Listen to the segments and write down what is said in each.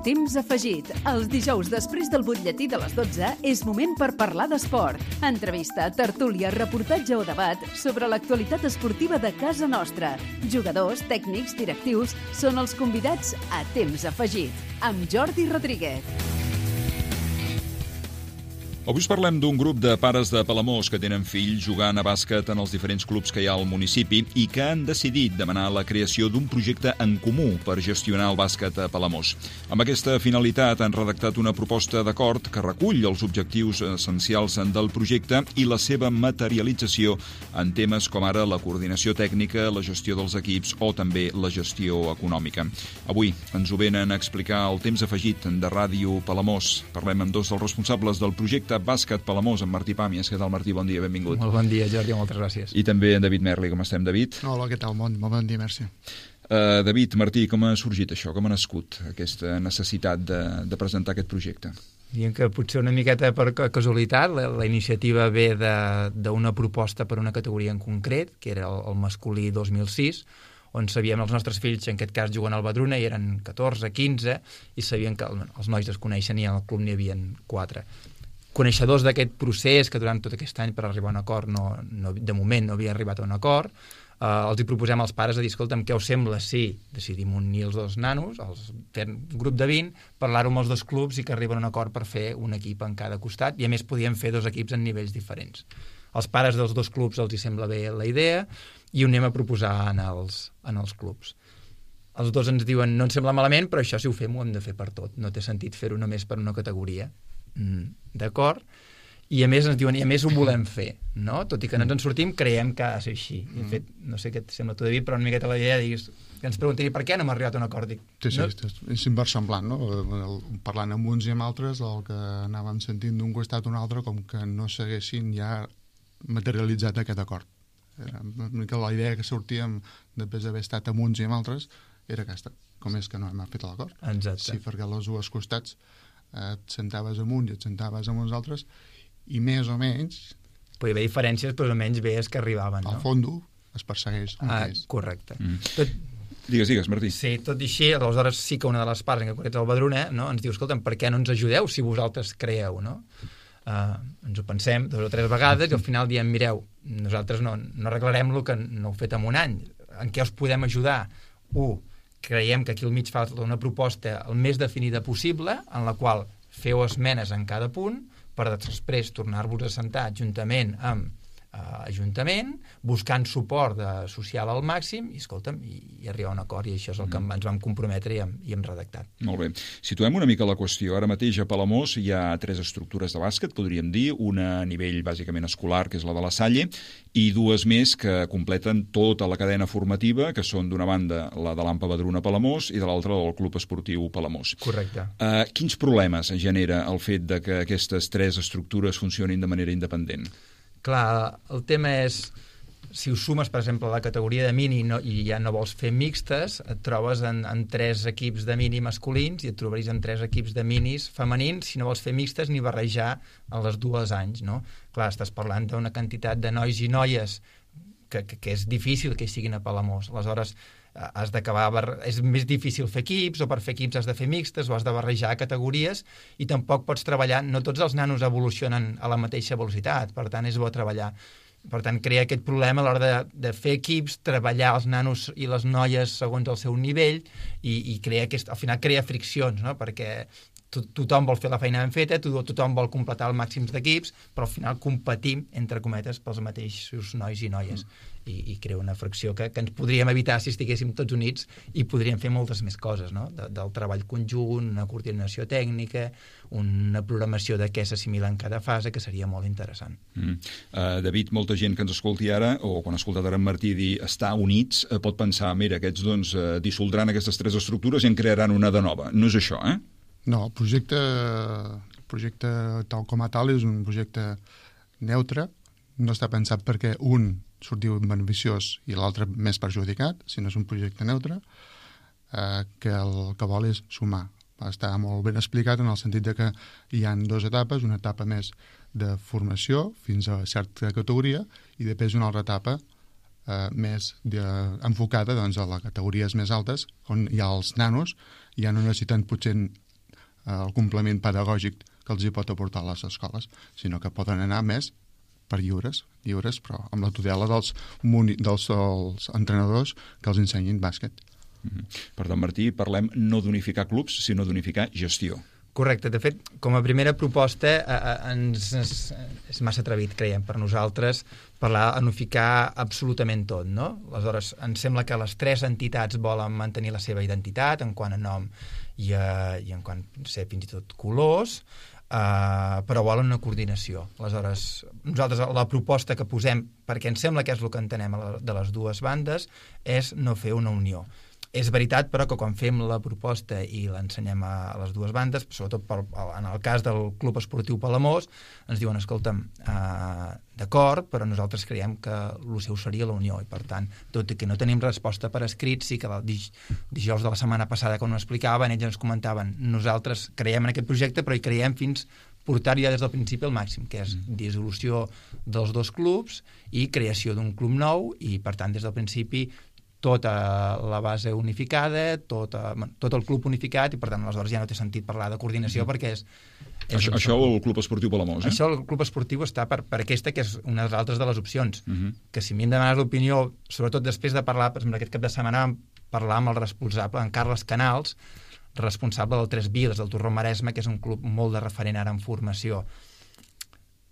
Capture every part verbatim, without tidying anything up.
Temps afegit. Els dijous després del butlletí de les dotze és moment per parlar d'esport. Entrevista, tertúlia, reportatge o debat sobre l'actualitat esportiva de casa nostra. Jugadors, tècnics, directius són els convidats a Temps afegit. Amb Jordi Rodríguez. Avui us parlem d'un grup de pares de Palamós que tenen fills jugant a bàsquet en els diferents clubs que hi ha al municipi i que han decidit demanar la creació d'un projecte en comú per gestionar el bàsquet a Palamós. Amb aquesta finalitat han redactat una proposta d'acord que recull els objectius essencials del projecte i la seva materialització en temes com ara la coordinació tècnica, la gestió dels equips o també la gestió econòmica. Avui ens ho venen a explicar el Temps afegit de Ràdio Palamós. Parlem amb dos dels responsables del projecte Bàsquet Palamós, en Martí Pàmies. Què tal, Martí? Bon dia, benvingut. Molt bon dia, Jordi, moltes gràcies. I també en David Merli. Com estem, David? Hola, què tal? Molt, molt bon dia, merci. Uh, David, Martí, com ha sorgit això? Com ha nascut aquesta necessitat de, de presentar aquest projecte? Diem que potser una miqueta per casualitat, la, la iniciativa ve d'una proposta per una categoria en concret, que era el, el masculí dos mil sis, on sabíem els nostres fills, en aquest cas juguen al Badruna, i eren catorze, quinze, i sabien que els nois es coneixen i al club n'hi havia quatre. Coneixedors d'aquest procés, que durant tot aquest any per arribar a un acord, no, no, de moment no havia arribat a un acord, eh, els hi proposem als pares de dir, escolta'm, què us sembla si decidim unir els dos nanos, els, fer un grup de vint, parlar-ho amb els dos clubs i que arriben a un acord per fer un equip en cada costat, i a més podíem fer dos equips en nivells diferents. Als pares dels dos clubs els hi sembla bé la idea i ho anem a proposar en els, en els clubs. Els dos ens diuen, no ens sembla malament, però això si ho fem ho hem de fer per tot, no té sentit fer-ho només per una categoria. Mm, d'acord? I a més ens diuen, i a més ho volem fer, no? Tot i que no ens en sortim, creiem que ha de ser així. De fet, no sé què et sembla tu, David, però una miqueta la idea diguis, que ens preguntin per què no hem arribat a un acord. Dic, sí, sí, no? és inversemblant, no? Parlant amb uns i amb altres, el que anàvem sentint d'un costat a un altre, com que no s'haguessin ja materialitzat aquest acord. Era una mica la idea que sortíem després d'haver estat amb uns i amb altres, era aquesta, com és que no hem fet l'acord. Exacte. Sí, perquè als dos costats et sentaves amb uns i et sentaves amb uns altres i més o menys podia haver diferències, però almenys veies que arribaven, no? Al fondo es persegueix un ah, és. Correcte. Mm. Tot... Digues, digues, Martí. Sí, tot i així, aleshores sí que una de les parts, en concret el Badruna, no, ens diu, escolta'm, per què no ens ajudeu si vosaltres creeu, no? Uh, ens ho pensem dos o tres vegades i al final diem, mireu, nosaltres no, no arreglarem el que no heu fet en un any. En què us podem ajudar? Un, creiem que aquí al mig fa una proposta el més definida possible, en la qual feu esmenes en cada punt per després tornar-vos a sentar juntament amb eh, Ajuntament, buscant suport de, social al màxim i, escolta'm, i, i arribar a un acord, i això és el que ens vam comprometre i hem, i hem redactat. Molt bé. Situem una mica la qüestió. Ara mateix a Palamós hi ha tres estructures de bàsquet, podríem dir, una a nivell bàsicament escolar, que és la de la Salle, i dues més que completen tota la cadena formativa, que són d'una banda la de l'Ampa Badruna Palamós i de l'altra del Club Esportiu Palamós. Correcte. Uh, quins problemes genera el fet de que aquestes tres estructures funcionin de manera independent? Clar, el tema és, si ho sumes, per exemple, a la categoria de mini no, i ja no vols fer mixtes, et trobes en, en tres equips de mini masculins i et trobaries en tres equips de minis femenins si no vols fer mixtes ni barrejar a les dues anys, no? Clar, estàs parlant d'una quantitat de nois i noies que, que, que és difícil que hi siguin a Palamós. Aleshores, has d'acabar, és més difícil fer equips, o per fer equips has de fer mixtes o has de barrejar categories, i tampoc pots treballar, no tots els nanos evolucionen a la mateixa velocitat, per tant és bo treballar. Per tant, crea aquest problema a l'hora de, de fer equips, treballar els nanos i les noies segons el seu nivell, i, i crea aquest, al final crea friccions, no? Perquè to, tothom vol fer la feina ben feta, to, tothom vol completar el màxim d'equips, però al final competim, entre cometes, pels mateixos nois i noies. Mm. I, i crea una fracció que, que ens podríem evitar si estiguéssim tots units i podríem fer moltes més coses, no? De, del treball conjunt, una coordinació tècnica, una programació de què s'assimila en cada fase, que seria molt interessant. Mm. Uh, David, molta gent que ens escolti ara, o quan ha escoltat ara en Martí dir estar units, uh, pot pensar, mira, aquests doncs uh, dissoldran aquestes tres estructures i en crearan una de nova. No és això, eh? No, el projecte, el projecte tal com a tal és un projecte neutre, no està pensat perquè un sortiu beneficiós i l'altre més perjudicat, sinó és un projecte neutre eh, que el que vol és sumar. Està molt ben explicat en el sentit de que hi ha dues etapes, una etapa més de formació fins a certa categoria i després una altra etapa eh, més de, enfocada doncs, a les categories més altes, on hi ha els nanos, ja no necessiten potser el complement pedagògic que els hi pot aportar a les escoles, sinó que poden anar més per lliures, lliures, però amb la tutela dels, muni, dels, dels entrenadors que els ensenyin bàsquet. Mm-hmm. Per tant, Martí, parlem no d'unificar clubs, sinó d'unificar gestió. Correcte. De fet, com a primera proposta eh, ens, ens, és massa atrevit, creiem, per nosaltres parlar d'unificar absolutament tot, no? Aleshores, ens sembla que les tres entitats volen mantenir la seva identitat en quant a nom i, a, i en quant a ser fins i tot colors, Uh, però volen una coordinació. Aleshores, nosaltres la proposta que posem, perquè ens sembla que és el que entenem de les dues bandes, és no fer una unió. És veritat, però, que quan fem la proposta i l'ensenyem a, a les dues bandes, sobretot per, en el cas del Club Esportiu Palamós, ens diuen, escolta'm, uh, d'acord, però nosaltres creiem que el seu seria la unió, i per tant, tot i que no tenim resposta per escrit, sí que el dij dijous de la setmana passada, quan ho explicaven, ells ens comentaven, nosaltres creiem en aquest projecte, però hi creiem fins portar-hi ja des del principi al màxim, que és dissolució dels dos clubs i creació d'un club nou, i per tant, des del principi tota la base unificada, tot, tot el club unificat, i per tant aleshores ja no té sentit parlar de coordinació, mm-hmm. perquè és... és això, això el Club Esportiu Palamós, eh? Això el Club Esportiu està per, per aquesta, que és una de les altres de les opcions, mm-hmm. que si m'hi hem demanat l'opinió, sobretot després de parlar, per exemple, aquest cap de setmana vam parlar amb el responsable, en Carles Canals, responsable del Tres Viles, del Torró Maresme, que és un club molt de referent ara en formació.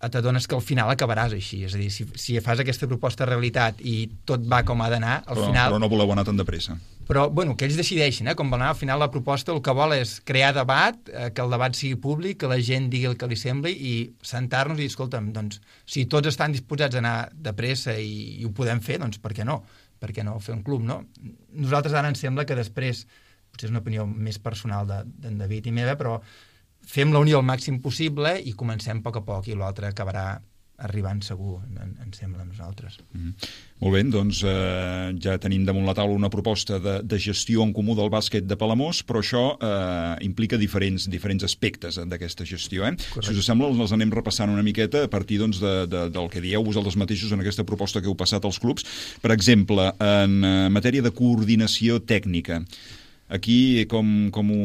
T'adones que al final acabaràs així, és a dir, si, si fas aquesta proposta de realitat i tot va com ha d'anar, al però, final... Però no voleu anar tan de pressa. Però, bueno, que ells decideixin, eh, com vol anar, al final la proposta el que vol és crear debat, eh, que el debat sigui públic, que la gent digui el que li sembli i sentar-nos i dir, escolta'm, doncs, si tots estan disposats a anar de pressa i, i ho podem fer, doncs per què no? Per què no fer un club, no? Nosaltres ara ens sembla que després, potser és una opinió més personal d'en de, David i meva, però fem la unió al màxim possible i comencem a poc a poc i l'altre acabarà arribant segur, en, en sembla a nosaltres. Mm-hmm. Molt bé, doncs eh, ja tenim damunt la taula una proposta de, de gestió en comú del bàsquet de Palamós, però això eh, implica diferents, diferents aspectes d'aquesta gestió. Eh? Si us sembla, els anem repassant una miqueta a partir doncs, de, de, del que dieu vosaltres mateixos en aquesta proposta que heu passat als clubs. Per exemple, en matèria de coordinació tècnica, aquí com, com ho,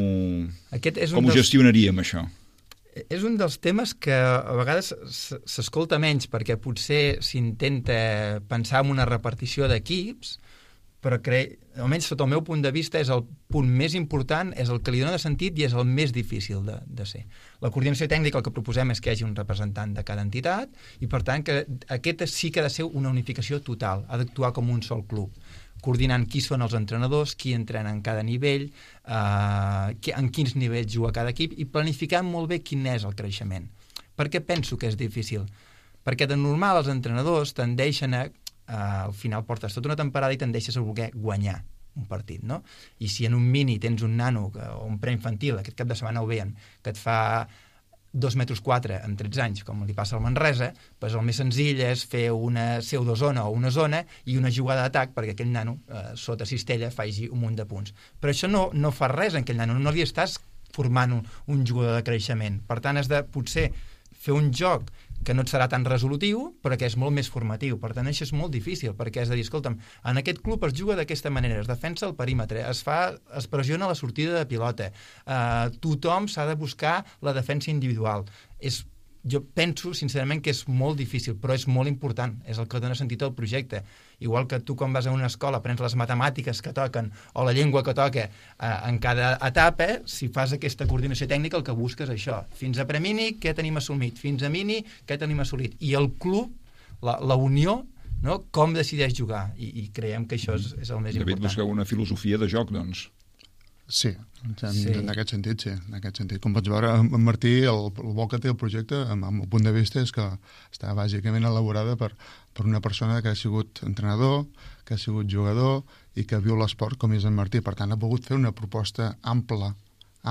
Aquest és com ho dels... gestionaríem, això? És un dels temes que a vegades s'escolta menys, perquè potser s'intenta pensar en una repartició d'equips, però crec, almenys sota el meu punt de vista, és el punt més important, és el que li dona de sentit i és el més difícil de, de ser. La coordinació tècnica el que proposem és que hi hagi un representant de cada entitat i, per tant, que aquesta sí que ha de ser una unificació total, ha d'actuar com un sol club, coordinant qui són els entrenadors, qui entrena en cada nivell, eh, en quins nivells juga cada equip i planificant molt bé quin és el creixement. Per què penso que és difícil? Perquè de normal els entrenadors tendeixen a, eh, al final portes tota una temporada i tendeixes a voler guanyar un partit, no? I si en un mini tens un nano o un preinfantil, aquest cap de setmana ho veien, que et fa dos metres quatre en tretze anys, com li passa al Manresa, doncs el més senzill és fer una pseudozona o una zona i una jugada d'atac perquè aquell nano, eh, sota cistella, faci un munt de punts. Però això no, no fa res en aquell nano, no li estàs formant un, un jugador de creixement. Per tant, has de potser fer un joc que no et serà tan resolutiu, però que és molt més formatiu. Per tant, això és molt difícil, perquè has de dir, escolta'm, en aquest club es juga d'aquesta manera, es defensa el perímetre, es fa, es pressiona la sortida de pilota, eh, tothom s'ha de buscar la defensa individual. És, jo penso, sincerament, que és molt difícil, però és molt important, és el que dona sentit al projecte. Igual que tu, quan vas a una escola, aprens les matemàtiques que toquen o la llengua que toca eh, en cada etapa, si fas aquesta coordinació tècnica, el que busques és això. Fins a premini, què tenim assolit? Fins a mini, què tenim assolit? I el club, la, la unió, no? Com decideix jugar? I, i creiem que això és, és el més David, important. busqueu una filosofia de joc, doncs. Sí, en, sí. en aquest sentit, sí. En aquest sentit. Com pots veure, en Martí, el, el bo que té el projecte, amb, amb el punt de vista, és que està bàsicament elaborada per, per una persona que ha sigut entrenador, que ha sigut jugador i que viu l'esport com és en Martí. Per tant, ha pogut fer una proposta ampla,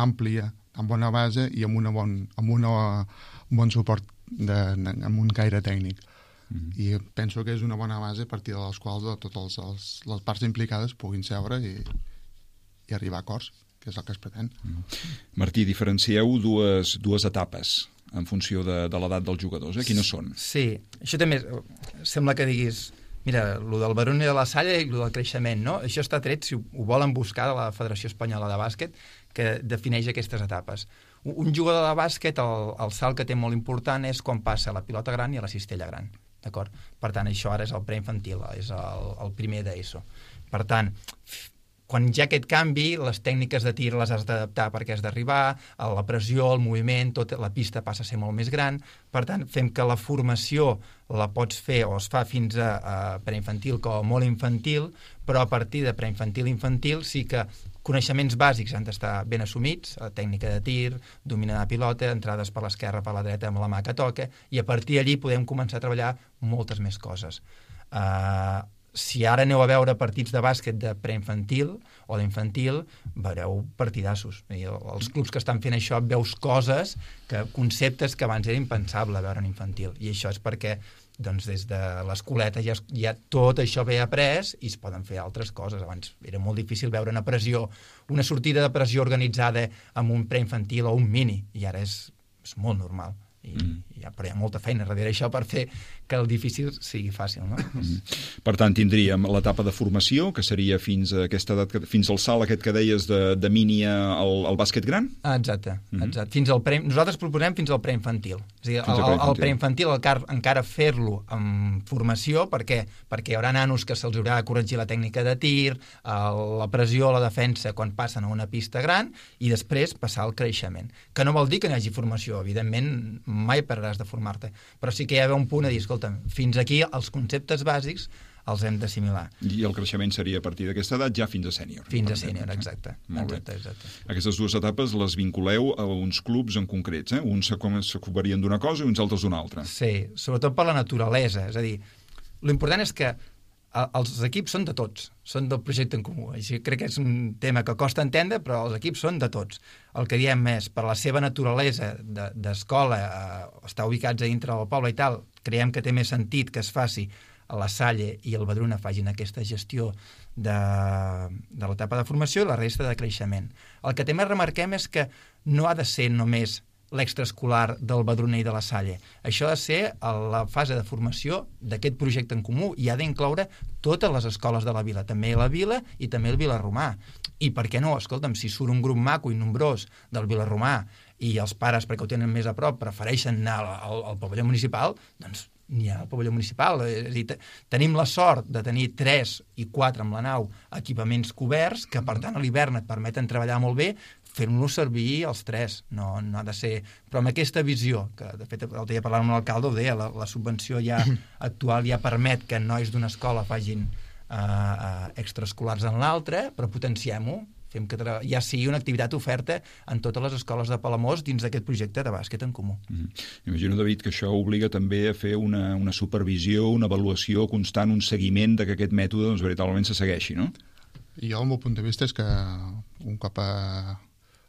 àmplia, amb bona base i amb, una bon, amb una, un bon suport, de, amb un caire tècnic. Mm-hmm. I penso que és una bona base a partir de les quals de totes els, les parts implicades puguin seure i i arribar a acords, que és el que es pretén. Mm. Martí, diferencieu dues, dues etapes en funció de, de l'edat dels jugadors, eh? Quines són? Sí, això també sembla que diguis, mira, lo del Baroni de la Salle i lo del creixement, no? Això està tret, si ho, ho volen buscar, de la Federació Espanyola de Bàsquet, que defineix aquestes etapes. Un jugador de bàsquet, el, el salt que té molt important és quan passa a la pilota gran i a la cistella gran. D'acord? Per tant, això ara és el preinfantil, és el, el primer d'ESO. Per tant, quan hi ha aquest canvi, les tècniques de tir les has d'adaptar perquè has d'arribar, la pressió, el moviment, tot, la pista passa a ser molt més gran. Per tant, fem que la formació la pots fer o es fa fins a, a preinfantil com a molt infantil, però a partir de preinfantil-infantil sí que coneixements bàsics han d'estar ben assumits, tècnica de tir, dominar la pilota, entrades per l'esquerra, per la dreta, amb la mà que toca, i a partir d'allí podem començar a treballar moltes més coses. Uh, si ara aneu a veure partits de bàsquet de preinfantil o d'infantil, veureu partidassos. I els clubs que estan fent això veus coses, que conceptes que abans era impensable veure en infantil. I això és perquè doncs des de l'escoleta ja, ja tot això ve après i es poden fer altres coses. Abans era molt difícil veure una pressió, una sortida de pressió organitzada amb un preinfantil o un mini, i ara és, és molt normal. I, mm. ja, però hi ha molta feina darrere això per fer que el difícil sigui fàcil, no? Mm. Per tant, tindríem l'etapa de formació, que seria fins a aquesta edat, fins al salt aquest que deies de, de mini al, al bàsquet gran? Ah, exacte, mm-hmm. exacte. Fins al pre... Nosaltres proposem fins al preinfantil. És a dir, el, el, el preinfantil encara, encara fer-lo amb formació, perquè, perquè hi haurà nanos que se'ls haurà de corregir la tècnica de tir, el, la pressió, la defensa, quan passen a una pista gran, i després passar al creixement. Que no vol dir que no hi hagi formació, evidentment mai pararàs de formar-te, però sí que hi ha un punt a dir, escolta, fins aquí els conceptes bàsics els hem d'assimilar. I el creixement seria a partir d'aquesta edat ja fins a sènior. Fins a sènior, exacte. exacte, exacte. Aquestes dues etapes les vinculeu a uns clubs en concrets, eh? Uns s'ocuparien d'una cosa i uns altres d'una altra. Sí, sobretot per la naturalesa, és a dir, l'important és que els equips són de tots, són del projecte en comú. Així crec que és un tema que costa entendre, però els equips són de tots. El que diem és, per la seva naturalesa d'escola, eh, estar ubicats a dintre del poble i tal, creiem que té més sentit que es faci a la Salle i el Badruna facin aquesta gestió de, de l'etapa de formació i la resta de creixement. El que també remarquem és que no ha de ser només l'extraescolar del Badruna i de la Salle. Això ha de ser a la fase de formació d'aquest projecte en comú i ha d'incloure totes les escoles de la vila, també la vila i també el Vilarromà. I per què no? Escolta'm, si surt un grup maco i nombrós del Vilarromà i els pares, perquè ho tenen més a prop, prefereixen anar al, al, al pavelló municipal, doncs n'hi ha al pavelló municipal. És a dir, tenim la sort de tenir tres i quatre amb la nau equipaments coberts, que per tant a l'hivern et permeten treballar molt bé, fent-los servir els tres, no, no ha de ser... Però amb aquesta visió, que de fet l'altre dia parlant amb l'alcalde ho deia, la, la subvenció ja actual ja permet que nois d'una escola facin uh, uh, extraescolars en l'altra, però potenciem-ho, fem que ja sigui una activitat oferta en totes les escoles de Palamós dins d'aquest projecte de bàsquet en comú. Mm-hmm. Imagino, David, que això obliga també a fer una, una supervisió, una avaluació constant, un seguiment de que aquest mètode doncs, veritablement se segueixi, no? Jo, el meu punt de vista és que un cop a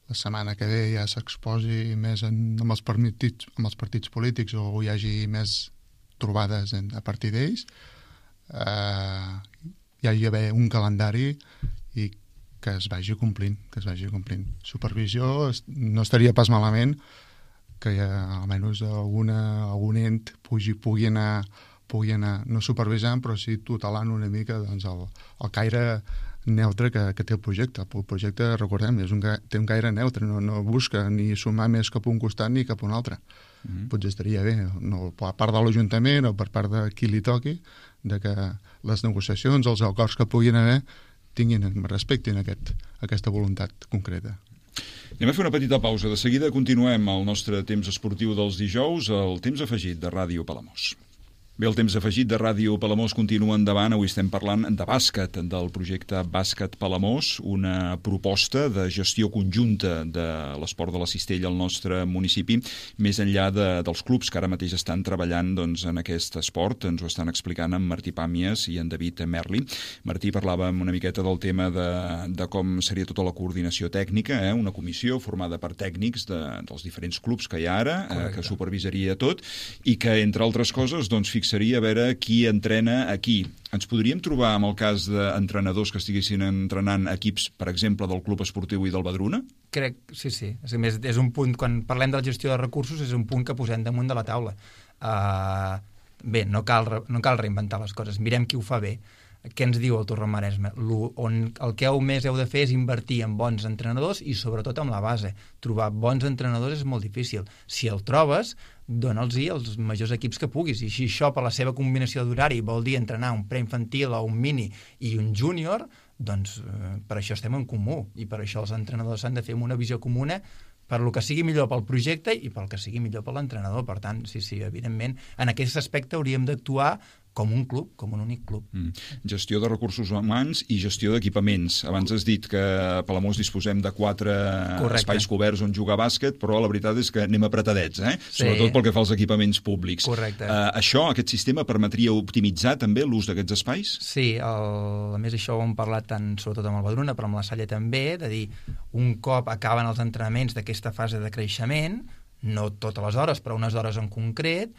la setmana que ve ja s'exposi més en, amb, els partits, amb els partits polítics o hi hagi més trobades en, a partir d'ells, eh, hi hagi d'haver un calendari i que es vagi complint, que es vagi complint. Supervisió no estaria pas malament que ja, almenys alguna, algun ent pugui, pugui, anar, pugui anar, no supervisant, però sí tutelant una mica doncs, el, el caire neutre que, que té el projecte. El projecte, recordem, és un, té un caire neutre, no, no busca ni sumar més cap a un costat ni cap a un altre. Mm-hmm. Potser estaria bé, no, per part de l'Ajuntament o per part de qui li toqui, de que les negociacions, els acords que puguin haver, tinguin, respectin aquest, aquesta voluntat concreta. Anem a fer una petita pausa. De seguida continuem el nostre temps esportiu dels dijous, el temps afegit de Ràdio Palamós. Bé, el temps afegit de Ràdio Palamós continua endavant. Avui estem parlant de bàsquet, del projecte Bàsquet Palamós, una proposta de gestió conjunta de l'esport de la cistella al nostre municipi, més enllà de, dels clubs que ara mateix estan treballant doncs, en aquest esport. Ens ho estan explicant en Martí Pàmies i en David Merli. Martí, parlàvem una miqueta del tema de, de com seria tota la coordinació tècnica, eh? Una comissió formada per tècnics de, dels diferents clubs que hi ha ara, eh, que supervisaria tot, i que, entre altres coses, doncs, seria a veure qui entrena a qui. Ens podríem trobar amb el cas d'entrenadors que estiguessin entrenant equips, per exemple, del Club Esportiu i del Badruna? Crec, sí, sí. És, a més, és un punt, quan parlem de la gestió de recursos, és un punt que posem damunt de la taula. Uh, bé, no cal, no cal reinventar les coses. Mirem qui ho fa bé. què ens diu el Torrent Maresme? Lo, on el que heu més heu de fer és invertir en bons entrenadors i sobretot amb la base. Trobar bons entrenadors és molt difícil. Si el trobes, dona'ls-hi els majors equips que puguis. I si això, per la seva combinació d'horari, vol dir entrenar un preinfantil o un mini i un júnior, doncs eh, per això estem en comú. I per això els entrenadors s'han de fer amb una visió comuna per lo que sigui millor pel projecte i pel que sigui millor per l'entrenador. Per tant, sí, sí, evidentment, en aquest aspecte hauríem d'actuar com un club, com un únic club. Mm. Gestió de recursos humans i gestió d'equipaments. Abans has dit que a Palamós disposem de quatre Correcte. espais coberts on jugar bàsquet, però la veritat és que anem apretadets, eh? Sí. Sobretot pel que fa als equipaments públics. Correcte. Uh, això, aquest sistema, permetria optimitzar també l'ús d'aquests espais? Sí, el, a més això ho hem parlat tant, sobretot amb el Badruna, però amb la Salle també, de dir, un cop acaben els entrenaments d'aquesta fase de creixement, no totes les hores, però unes hores en concret,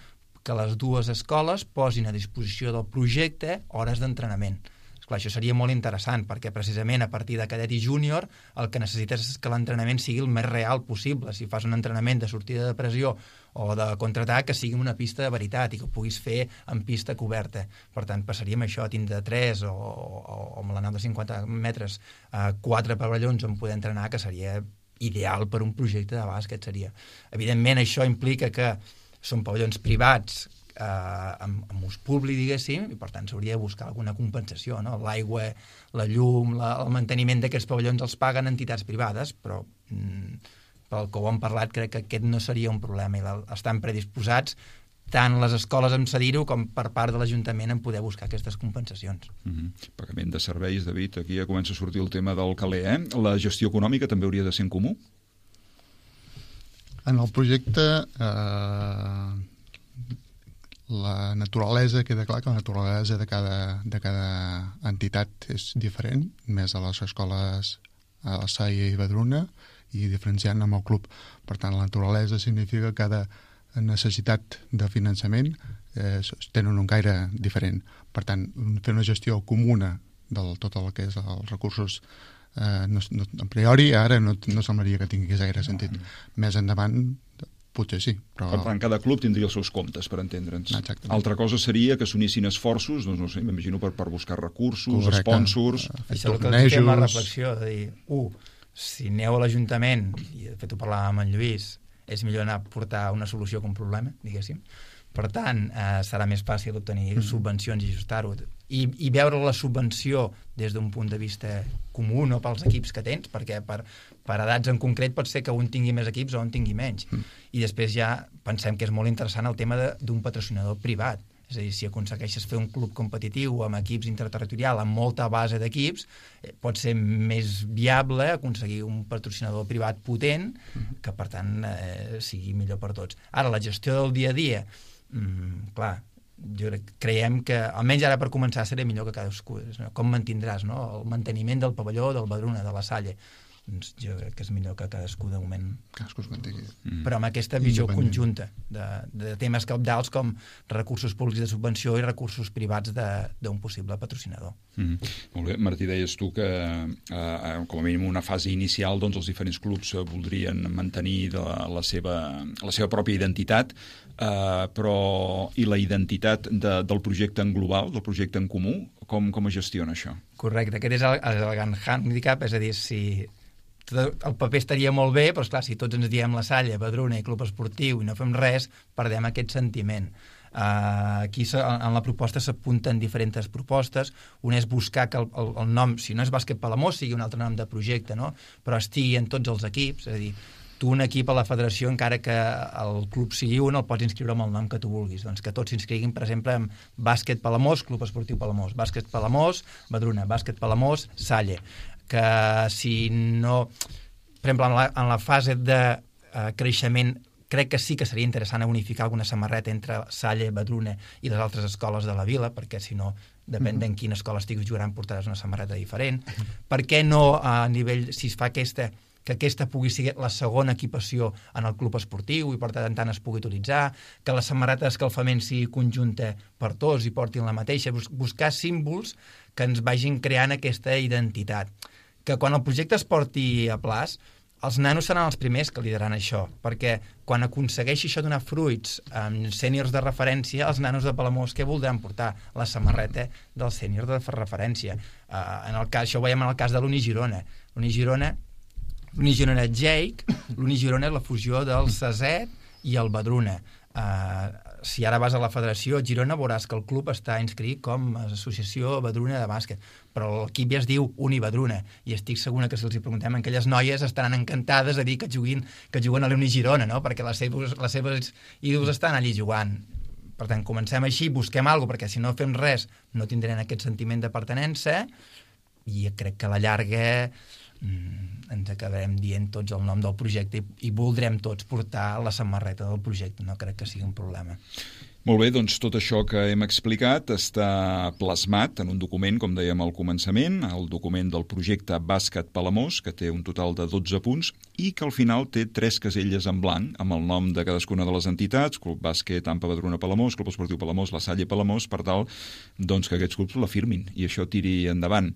que les dues escoles posin a disposició del projecte hores d'entrenament. Esclar, això seria molt interessant, perquè precisament a partir de cadet i júnior el que necessites és que l'entrenament sigui el més real possible. Si fas un entrenament de sortida de pressió o de contraatac, que sigui una pista de veritat i que ho puguis fer en pista coberta. Per tant, passaríem això a tindre tres o, o, o amb la nau de cinquanta metres a quatre pavellons on poder entrenar, que seria ideal per un projecte de bàsquet. Seria. Evidentment, això implica que són pavellons privats eh, amb, amb ús públic, diguéssim, i per tant s'hauria de buscar alguna compensació, no? L'aigua, la llum, la, el manteniment d'aquests pavellons els paguen entitats privades, però mm, pel que ho hem parlat crec que aquest no seria un problema i la, estan predisposats tant les escoles en cedir-ho com per part de l'Ajuntament en poder buscar aquestes compensacions. Mm-hmm. Pagament de serveis, David, aquí ja comença a sortir el tema del caler, eh? La gestió econòmica també hauria de ser en comú? En el projecte eh, la naturalesa, queda clar que la naturalesa de cada, de cada entitat és diferent, més a les escoles a la Salle i Badruna i diferenciant amb el club. Per tant, la naturalesa significa que cada necessitat de finançament eh, tenen un caire diferent. Per tant, fer una gestió comuna de tot el que és els recursos Uh, no, no, a priori ara no, no semblaria que tingués gaire sentit. Més endavant potser sí, però... Per tant, cada club tindria els seus comptes, per entendre'ns. Exactament. Altra cosa seria que s'unissin esforços, doncs no sé, m'imagino per, per buscar recursos, Correcte. Sponsors... Uh, Això és el que ens la reflexió, de dir, uh, si aneu a l'Ajuntament, i de fet ho parlàvem amb en Lluís, és millor anar a portar una solució que un problema, diguéssim. Per tant, eh, serà més fàcil obtenir mm. subvencions i ajustar-ho. I, i veure la subvenció des d'un punt de vista comú, no pels equips que tens, perquè per, per edats en concret pot ser que un tingui més equips o un tingui menys. Mm. I després ja pensem que és molt interessant el tema d'un patrocinador privat. És a dir, si aconsegueixes fer un club competitiu amb equips interterritorial, amb molta base d'equips, eh, pot ser més viable aconseguir un patrocinador privat potent que, per tant, eh, sigui millor per tots. Ara, la gestió del dia a dia, mm, clar, jo crec, creiem que, almenys ara per començar, seria millor que cadascú. No? Com mantindràs, no? El manteniment del pavelló, del Badruna, de la Salle. Doncs jo crec que és millor que cadascú de moment... Cadascú es mantingui. Mm. Però amb aquesta visió conjunta de, de temes cabdals com recursos públics de subvenció i recursos privats d'un possible patrocinador. Mm. Molt bé. Martí, deies tu que eh, com a mínim una fase inicial doncs els diferents clubs voldrien mantenir de la, seva, la seva pròpia identitat, eh, però i la identitat de, del projecte en global, del projecte en comú, com, com es gestiona això? Correcte. Aquest és el, el gran handicap, és a dir, si... el paper estaria molt bé, però esclar, si tots ens diem la Salle, Badruna i Club Esportiu i no fem res, perdem aquest sentiment. Uh, aquí en la proposta s'apunten diferents propostes. Una és buscar que el, el, el nom, si no és Bàsquet Palamós, sigui un altre nom de projecte, no? Però estigui en tots els equips, és a dir, tu un equip a la federació, encara que el club sigui un, el pots inscriure amb el nom que tu vulguis. Doncs que tots s'inscriguin, per exemple, amb Bàsquet Palamós, Club Esportiu Palamós, Bàsquet Palamós, Badruna, Bàsquet Palamós, Salle. Que si no... Per exemple, en la, en la fase de uh, creixement, crec que sí que seria interessant unificar alguna samarreta entre Salle, Badruna i les altres escoles de la vila, perquè si no, depèn d'en quina escola estiguis jugant, portaràs una samarreta diferent. Per què no, a nivell, si es fa aquesta... que aquesta pugui ser la segona equipació en el club esportiu i per tant tant es pugui utilitzar, que la samarreta d'escalfament sigui conjunta per tots i portin la mateixa, buscar símbols que ens vagin creant aquesta identitat. Que quan el projecte es porti a plaç, els nanos seran els primers que lideraran això, perquè quan aconsegueixi això donar fruits amb sèniors de referència, els nanos de Palamós què voldran portar? La samarreta del sènior de referència. Uh, en el cas, això ho veiem en el cas de l'Uni Girona. L'Uni Girona, l'Uni Girona Jake, l'Uni Girona és la fusió del Saset i el Badruna. Uh, si ara vas a la federació a Girona veuràs que el club està inscrit com a associació Badruna de bàsquet, però l'equip ja es diu Uni Badruna, i estic segura que si els hi preguntem a aquelles noies estaran encantades a dir que juguin, que juguen a l'Uni Girona, no? Perquè les seves, les seves ídols estan allí jugant. Per tant, comencem així, busquem alguna cosa, perquè si no fem res no tindrem aquest sentiment de pertinença, i crec que a la llarga mm, ens acabarem dient tots el nom del projecte i, i voldrem tots portar la samarreta del projecte. No crec que sigui un problema. Molt bé, doncs tot això que hem explicat està plasmat en un document, com dèiem al començament, el document del projecte Bàsquet Palamós, que té un total de dotze punts i que al final té tres caselles en blanc, amb el nom de cadascuna de les entitats, Club Bàsquet Ampa Badruna Palamós, Club Esportiu Palamós, La Salle Palamós, per tal doncs, que aquests clubs la firmin i això tiri endavant.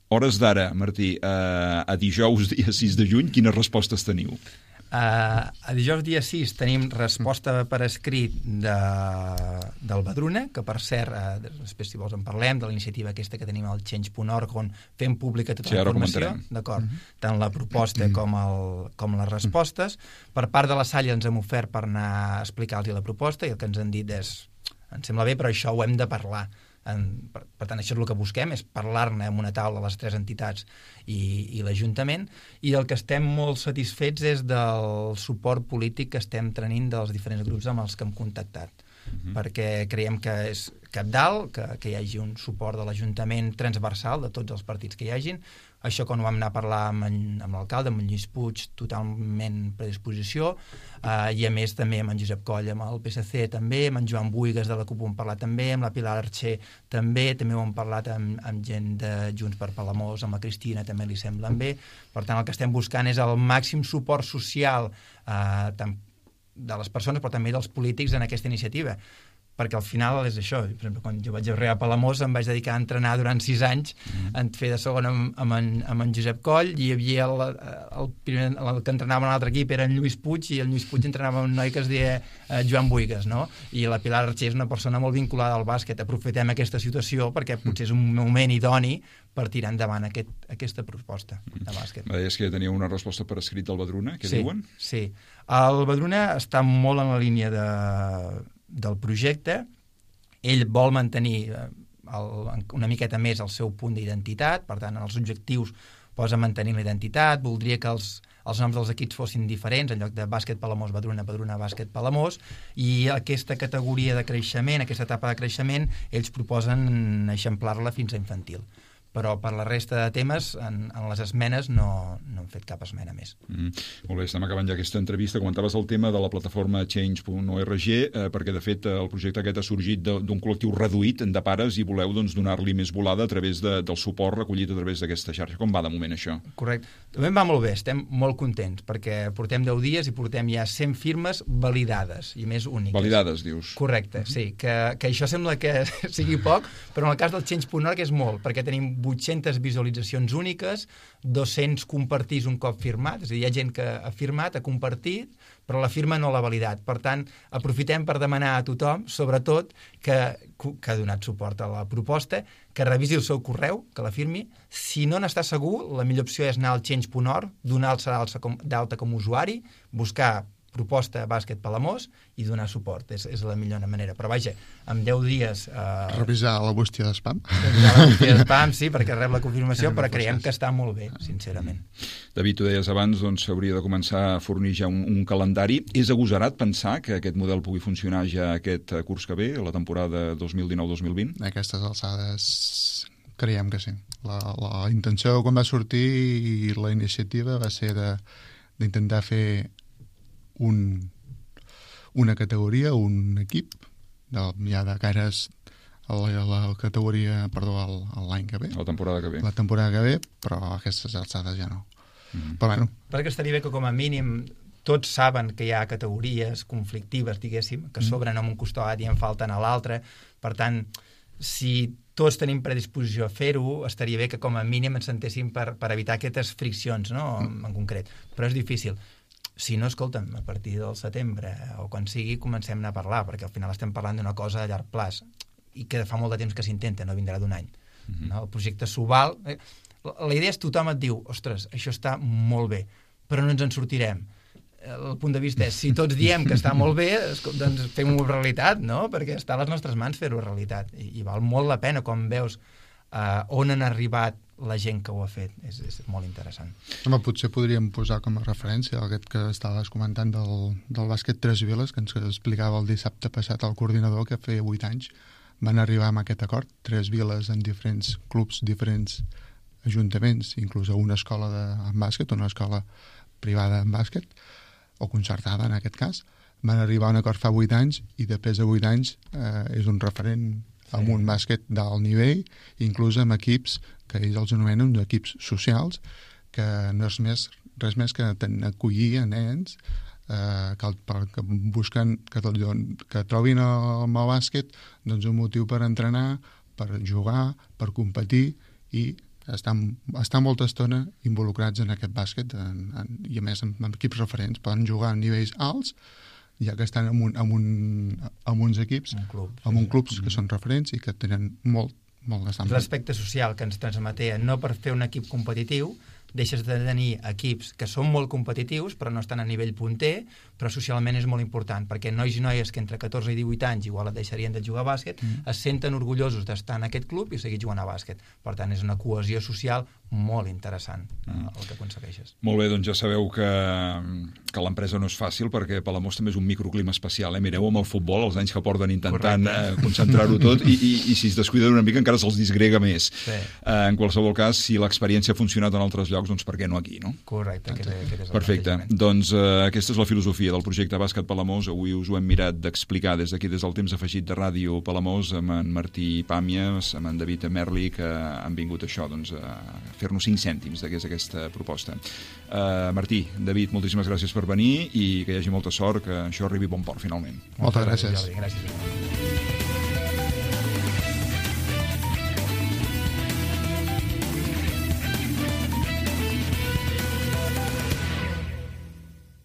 Hores d'ara, Martí, eh, a dijous dia sis de juny, quines respostes teniu? Uh, a dijous dia sis tenim resposta per escrit de, del Badruna, que per cert, uh, després si vols en parlem, de la iniciativa aquesta que tenim al change punt org, on fem pública tota sí, la informació, d'acord, mm-hmm. tant la proposta mm-hmm. com, el, com les respostes. Per part de la Salle ens hem ofert per anar a explicar-los la proposta, i el que ens han dit és, ens sembla bé, però això ho hem de parlar. En, per, per tant, això és el que busquem, és parlar-ne en una taula les tres entitats i, i l'Ajuntament, i el que estem molt satisfets és del suport polític que estem tenint dels diferents grups amb els que hem contactat, uh-huh. perquè creiem que és cabdal, que, que hi hagi un suport de l'Ajuntament transversal de tots els partits que hi hagin. Això quan ho vam anar a parlar amb, en, amb l'alcalde, amb en Lluís Puig, totalment predisposició, uh, i a més també amb en Josep Coll, amb el P S C també, amb en Joan Buigas de la CUP ho hem parlat també, amb la Pilar Archer també, també ho hem parlat amb, amb gent de Junts per Palamós, amb la Cristina també li semblen bé. Per tant, el que estem buscant és el màxim suport social uh, tant de les persones però també dels polítics en aquesta iniciativa, perquè al final és això. Per exemple, quan jo vaig arribar a Palamós em vaig dedicar a entrenar durant sis anys, mm. en fer de segon amb, amb, en, amb en Josep Coll, i hi havia el, el, primer, el que entrenava en l'altre equip era en Lluís Puig, i el Lluís Puig entrenava un noi que es deia eh, Joan Buigas, no? I la Pilar Archer és una persona molt vinculada al bàsquet. Aprofitem aquesta situació perquè potser és un moment idoni per tirar endavant aquest, aquesta proposta de bàsquet. Deies que ja tenia una resposta per escrit del Badruna, què sí, diuen? Sí, el Badruna està molt en la línia de del projecte. Ell vol mantenir el, una miqueta més el seu punt d'identitat, per tant, en els objectius posa mantenir la identitat, voldria que els, els noms dels equips fossin diferents, en lloc de bàsquet Palamós, Badruna, Badruna, bàsquet Palamós, i aquesta categoria de creixement, aquesta etapa de creixement, ells proposen eixamplar-la fins a infantil. Però per la resta de temes, en, en les esmenes no, no hem fet cap esmena més. Mm. Molt bé, estem acabant ja aquesta entrevista. Comentaves el tema de la plataforma change punt org, eh, perquè de fet el projecte aquest ha sorgit d'un col·lectiu reduït de pares i voleu doncs, donar-li més volada a través de, del suport recollit a través d'aquesta xarxa. Com va de moment això? Correcte. També va molt bé, estem molt contents, perquè portem deu dies i portem ja cent firmes validades, i més úniques. Validades, dius? Correcte, uh-huh. sí. Que, que això sembla que sigui poc, però en el cas del change punt org és molt, perquè tenim vuit-centes visualitzacions úniques, dos-cents compartits un cop firmat, és a dir, hi ha gent que ha firmat, ha compartit, però la firma no l'ha validat. Per tant, aprofitem per demanar a tothom, sobretot, que, que ha donat suport a la proposta, que revisi el seu correu, que la firmi. Si no n'està segur, la millor opció és anar al change punt org, donar-se d'alta com a usuari, buscar proposta bàsquet Palamós i donar suport. És, és la millor manera. Però vaja, en deu dies... Eh, revisar la bústia d'espam. Revisar la bústia d'espam, sí, perquè rep la confirmació, però creiem que està molt bé, sincerament. David, tu deies abans, doncs s'hauria de començar a fornir ja un, un calendari. És agosarat pensar que aquest model pugui funcionar ja aquest curs que ve, la temporada dos mil dinou dos mil vint? A aquestes alçades creiem que sí. La, la intenció quan va sortir i la iniciativa va ser de d'intentar fer un, una categoria, un equip, de, ja de cares a la, a la categoria, perdó, l'any que ve. La temporada que ve. La temporada que ve, però a aquestes alçades ja no. Mm-hmm. Però bueno. Perquè estaria bé que com a mínim tots saben que hi ha categories conflictives, diguéssim, que sobren en un costat i en falten a l'altre. Per tant, si tots tenim predisposició a fer-ho, estaria bé que com a mínim ens sentéssim per, per evitar aquestes friccions, no?, en, en concret. Però és difícil. Si no, escolta'm, a partir del setembre o quan sigui, comencem a parlar, perquè al final estem parlant d'una cosa a llarg plaç i que fa molt de temps que s'intenta, no vindrà d'un any. Mm-hmm. No? El projecte s'ho val. La idea és tothom et diu, ostres, això està molt bé, però no ens en sortirem. El punt de vista és, si tots diem que està molt bé, doncs fem-ho realitat, no? Perquè està a les nostres mans fer-ho realitat. I, i val molt la pena quan veus uh, on han arribat la gent que ho ha fet. És, és molt interessant. Home, potser podríem posar com a referència aquest que estaves comentant del, del bàsquet Tres Viles, que ens explicava el dissabte passat el coordinador, que feia vuit anys van arribar amb aquest acord, Tres Viles en diferents clubs, diferents ajuntaments, inclús a una escola de en bàsquet, una escola privada en bàsquet, o concertada en aquest cas, van arribar a un acord fa vuit anys i després de vuit anys eh, és un referent sí. amb un bàsquet d'alt nivell, inclús amb equips que ells els anomenen equips socials, que no és més, res més que acollir a nens eh, que, que busquen que, tot, que trobin el, el bàsquet doncs, un motiu per entrenar, per jugar, per competir i estan, estan molta estona involucrats en aquest bàsquet en, en, i a més amb, amb equips referents, poden jugar a nivells alts ja que estan en, un, en, un, en uns equips un club, sí, en un clubs sí. que són referents i que tenen molt, molt d'estampa. L'aspecte social que ens transmetia, no per fer un equip competitiu deixes de tenir equips que són molt competitius però no estan a nivell punter, però socialment és molt important, perquè nois i noies que entre catorze i divuit anys igual et deixarien de jugar a bàsquet, mm. es senten orgullosos d'estar en aquest club i seguir jugant a bàsquet. Per tant, és una cohesió social molt interessant mm. eh, el que aconsegueixes. Molt bé, doncs ja sabeu que, que l'empresa no és fàcil, perquè Palamós també és un microclima especial. Eh? Mireu amb el futbol, els anys que porten intentant eh, concentrar-ho tot, i, i, i si es descuiden una mica encara se'ls disgrega més. Sí. Eh, en qualsevol cas, si l'experiència ha funcionat en altres llocs, doncs per què no aquí, no? Correcte. Aquest, aquest és el Perfecte. Doncs eh, aquesta és la filosofia del projecte Bàsquet Palamós. Avui us ho hem mirat d'explicar des d'aquí, des del temps afegit de Ràdio Palamós, amb en Martí Pàmies, amb en David Merli, que han vingut això, doncs, a fer-nos cinc cèntims de què és aquesta proposta. Uh, Martí, David, moltíssimes gràcies per venir i que hi hagi molta sort, que això arribi a bon port, finalment. Moltes gràcies. Gràcies.